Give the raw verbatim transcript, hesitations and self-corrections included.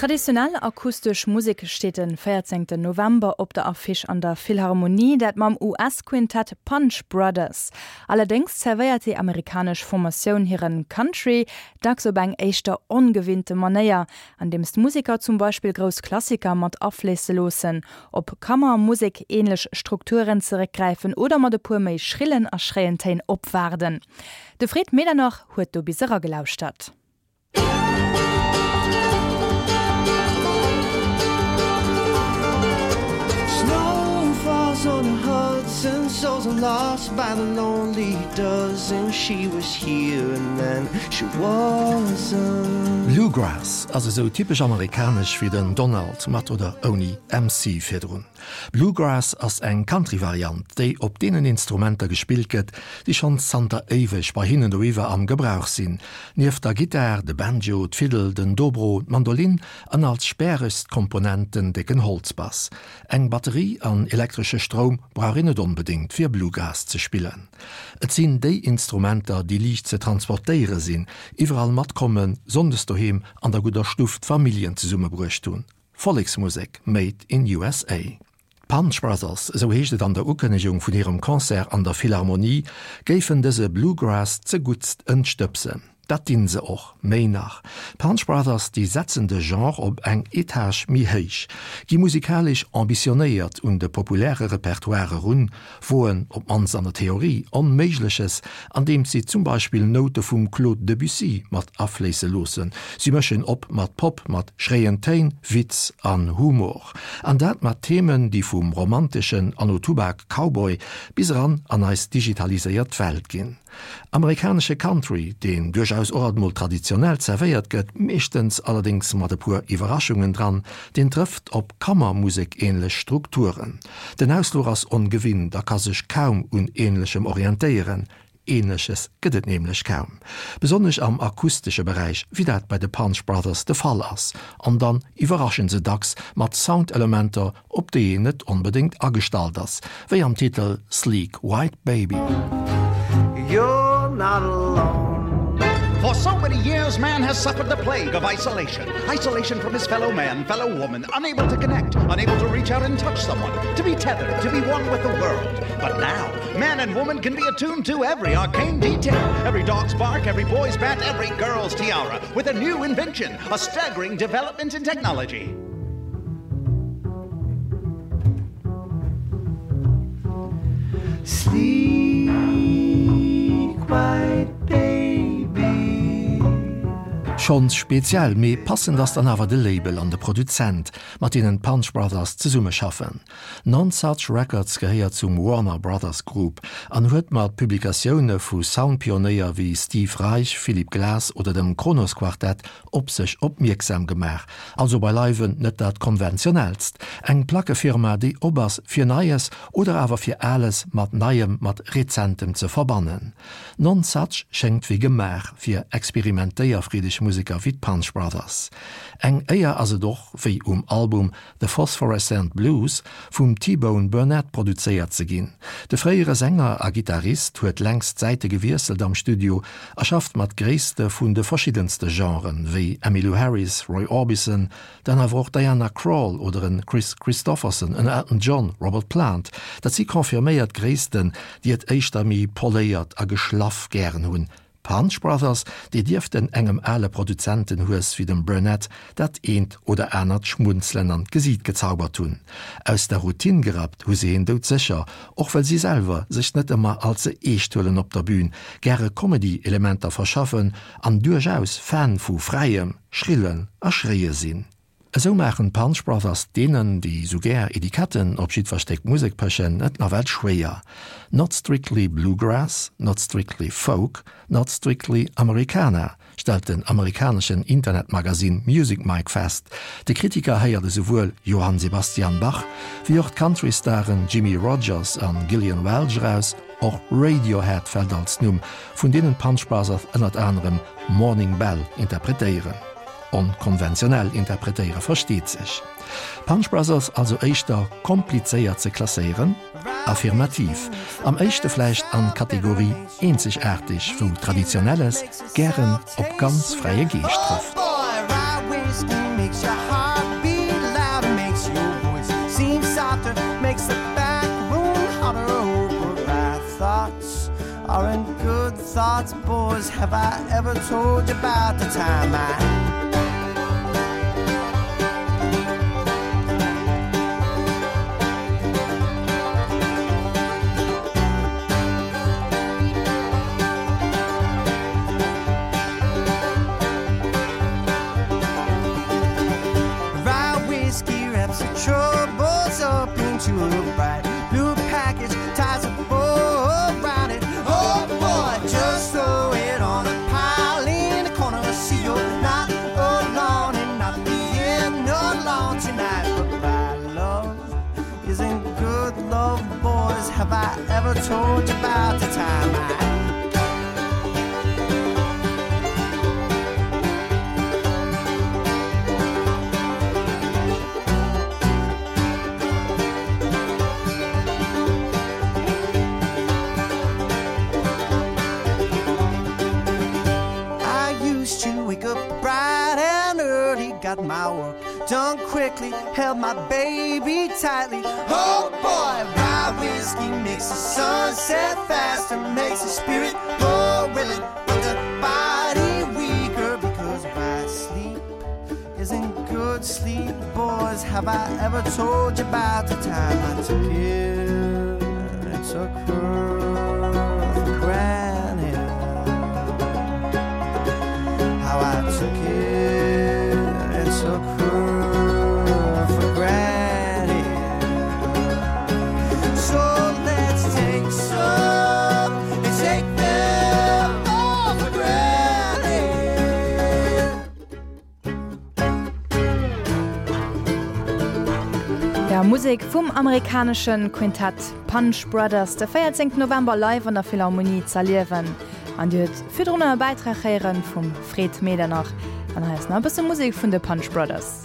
Traditionell akustesch Musek steet de véierzéngten November op der Affiche an der Philharmonie, dat mam U S-Quintett Punch Brothers. Allerdéngs zerwéiert déi amerikanesch Formatioun hiren Country dacks op eng éischter ongewinnte Manéier, andeems d'Museker zum Beispill grouss Klassiker mat afléisse loossen, op Kammermusek-änlech Strukturen zeréckgräifen oder mat e puer méi schrillen a schréien Téin opwaarden. De Fred Medernach huet do bis eragelauschtert. Snow falls on the Hudson, souls are lost by the lonely dozen. She was here and then she wasn't. Bluegrass ass esou typesch amerikanesch wéi den Donald mat oder ouni M C virdrun. Bluegrass ass eng Country-Variant, déi op deenen Instrumenter gespillt gëtt, déi schonn zanter éiweg bei hinnen doiwwer am Gebrauch sinn. Nieft der Gittar, de Banjo, d'Fiddel, den Dobro, d'Mandolin an als späregst Komponent den décken Holzbass. Eng Batterie an elektresche Stroum brauch een net onbedéngt fir Bluegrass ze spillen. Et sinn déi Instrumenter, déi liicht ze transportéiere sinn, iwwerall matkommen, sonndes doheem an der gudder Stuff d'Familljen zesummebruecht hunn. Volleksmusek made in U S A. D'Punch Brothers, esou heescht et an der Ukënnegung vun hirem Concert an der Philharmonie, géifen dëse Bluegrass zeguttst entstëbsen. Dat dinn se och, méi nach. D'Punch Brothers, déi setzen de Genre op eng Etage méi héich, gi musikalesch ambitionéiert un de populäre Repertoire erun, woen op d'mannst an der Theorie Onméigleches, andeems si zum Beispill Noute vum Claude Debussy mat afléisse loossen. Si mëschen op mat Pop, mat schréien Téin, Witz an Humor. An dat mat Themen, déi vum romanteschen Anno-Tubak-Cowboy bis eran an eis digitaliséiert Welt ginn. Amerikanesche Country, deen duerchaus och mol traditionell zerwéiert gëtt, meeschtens allerdéngs mat e puer Iwwerraschungen dran, deen trëfft op Kammermusek-änlech Strukturen. Den Ausfluch ass ongewinnt, a ka sech kaum un Änlechem orientéieren. Änleches gëtt et nämlech kaum. Besonnesch am akustesche Beräich, wéi dat bei de Punch Brothers de Fall ass. An dann iwwerraschen se dacks mat Soundelementer, op déi een net onbedéngt agestallt ass, wéi am Titel Sleek White Baby. You're not alone. For so many years, man has suffered the plague of isolation. Isolation from his fellow man, fellow woman, unable to connect, unable to reach out and touch someone, to be tethered, to be one with the world. But now, man and woman can be attuned to every arcane detail, every dog's bark, every boy's bat, every girl's tiara, with a new invention, a staggering development in technology. Sleek white baby. Schonns speziell, mee passend ass dann awer de Label an de Produzent, mat deenen d'Punch Brothers zesummeschaffen. Nonesuch Records gehéiert zum Warner Brothers Group an huet mat Publikatioune vu Soundpionéier wéi Steve Reich, Philip Glass oder dem Kronos Quartett op sech opmierksam gemaach. Also beileiwen net dat konventionellst. Eng Plackefirma, déi op ass fir Neies oder awer fir Ales mat Neiem mat Rezentem ze verbannen. Nonesuch schéngt wéi gemaach fir experimentéierfreedeg Museker wéi d'Punch Brothers. Eng Éier ass et och wéi um Album The Phosphorescent Blues vum T-Bone Burnett produzéiert ze ginn. De fréiere Sänger a Gittarist huet längst Säite gewiesselt am Studio a schafft mat Gréisste vun de verschiddenste Genren wéi Emmylou Harris, Roy Orbison, dann awer och Diana Krall oder en Kris Kristofferson, en Elton John, Robert Plant, dat si confirméiert Gréissten, déi et éischter méi poléiert a geschlaff gären hunn. Punch Brothers, déi dierften engem ale Produzentenhues wéi dem Burnett dat eent oder anert Schmunzelen an d'Gesiit gezaubert hunn. Aus der Routine gerappt hu se hien doudsécher, och well si selwer sech net ëmmer all ze eescht huelen op der Bün, gäre Comedy-Elementer verschaffen an duerchaus Fan vu fräiem, schrillen a schréie sinn. Esou maachen d'Punch Brothers deenen, déi sou gär Etiketten op jiddwer Stéck Musek pechen, et nawell schwéier. Not strictly bluegrass, not strictly folk, not strictly Americana, stellt den amerikaneschen Internetmagazin Music Mic fest. De Kritiker héiert esouwuel Johann Sebastian Bach, wéi och d'Countrystaren Jimmie Rodgers an Gillian Welch eraus, och Radiohead fält als Numm, vun deenen d'Punch Brothers ënnert anerem Morning Bell interpretéieren. Onkonventionell interpretéiere versteet sech. Punch Brothers also éischter komplizéiert ze klasséieren? Affirmativ. Am éischte vläicht an d'Kategorie eenzegaarteg, wou Traditionelles gären op ganz fräie Geescht trëfft. Boy, ride with whiskey makes your heart beat louder, makes your voice seem softer, makes the back room hotter. Oh, but bad thoughts aren't good thoughts, boys. Have I ever told you about the time I Rye whiskey wraps the troubles up into a bright blue package, ties a bow around it. Oh boy, just throw it on a pile in the corner. See you're not alone and not being alone tonight. But bad love isn't good love, boys. Have I ever told you about the time I I used to wake up bright and early, got my work done quickly, held my baby tightly. Oh boy, rye whiskey makes the sunset faster, makes the spirit more willing, but the body weaker because bad sleep isn't good sleep, boys. Have I ever told you about the time I took it and took her for granted? How I took it and took her for granted. So let's take some and take them all for granted. Ja, Musek vum amerikanesche Quintett Punch Brothers de véierzéngten November live an der Philharmonie z'erliewen. An Dir hutt virdrun e Bäitrag héiere vum Fred Medernach. An hei ass nach e bësse Musek vun de Punch Brothers.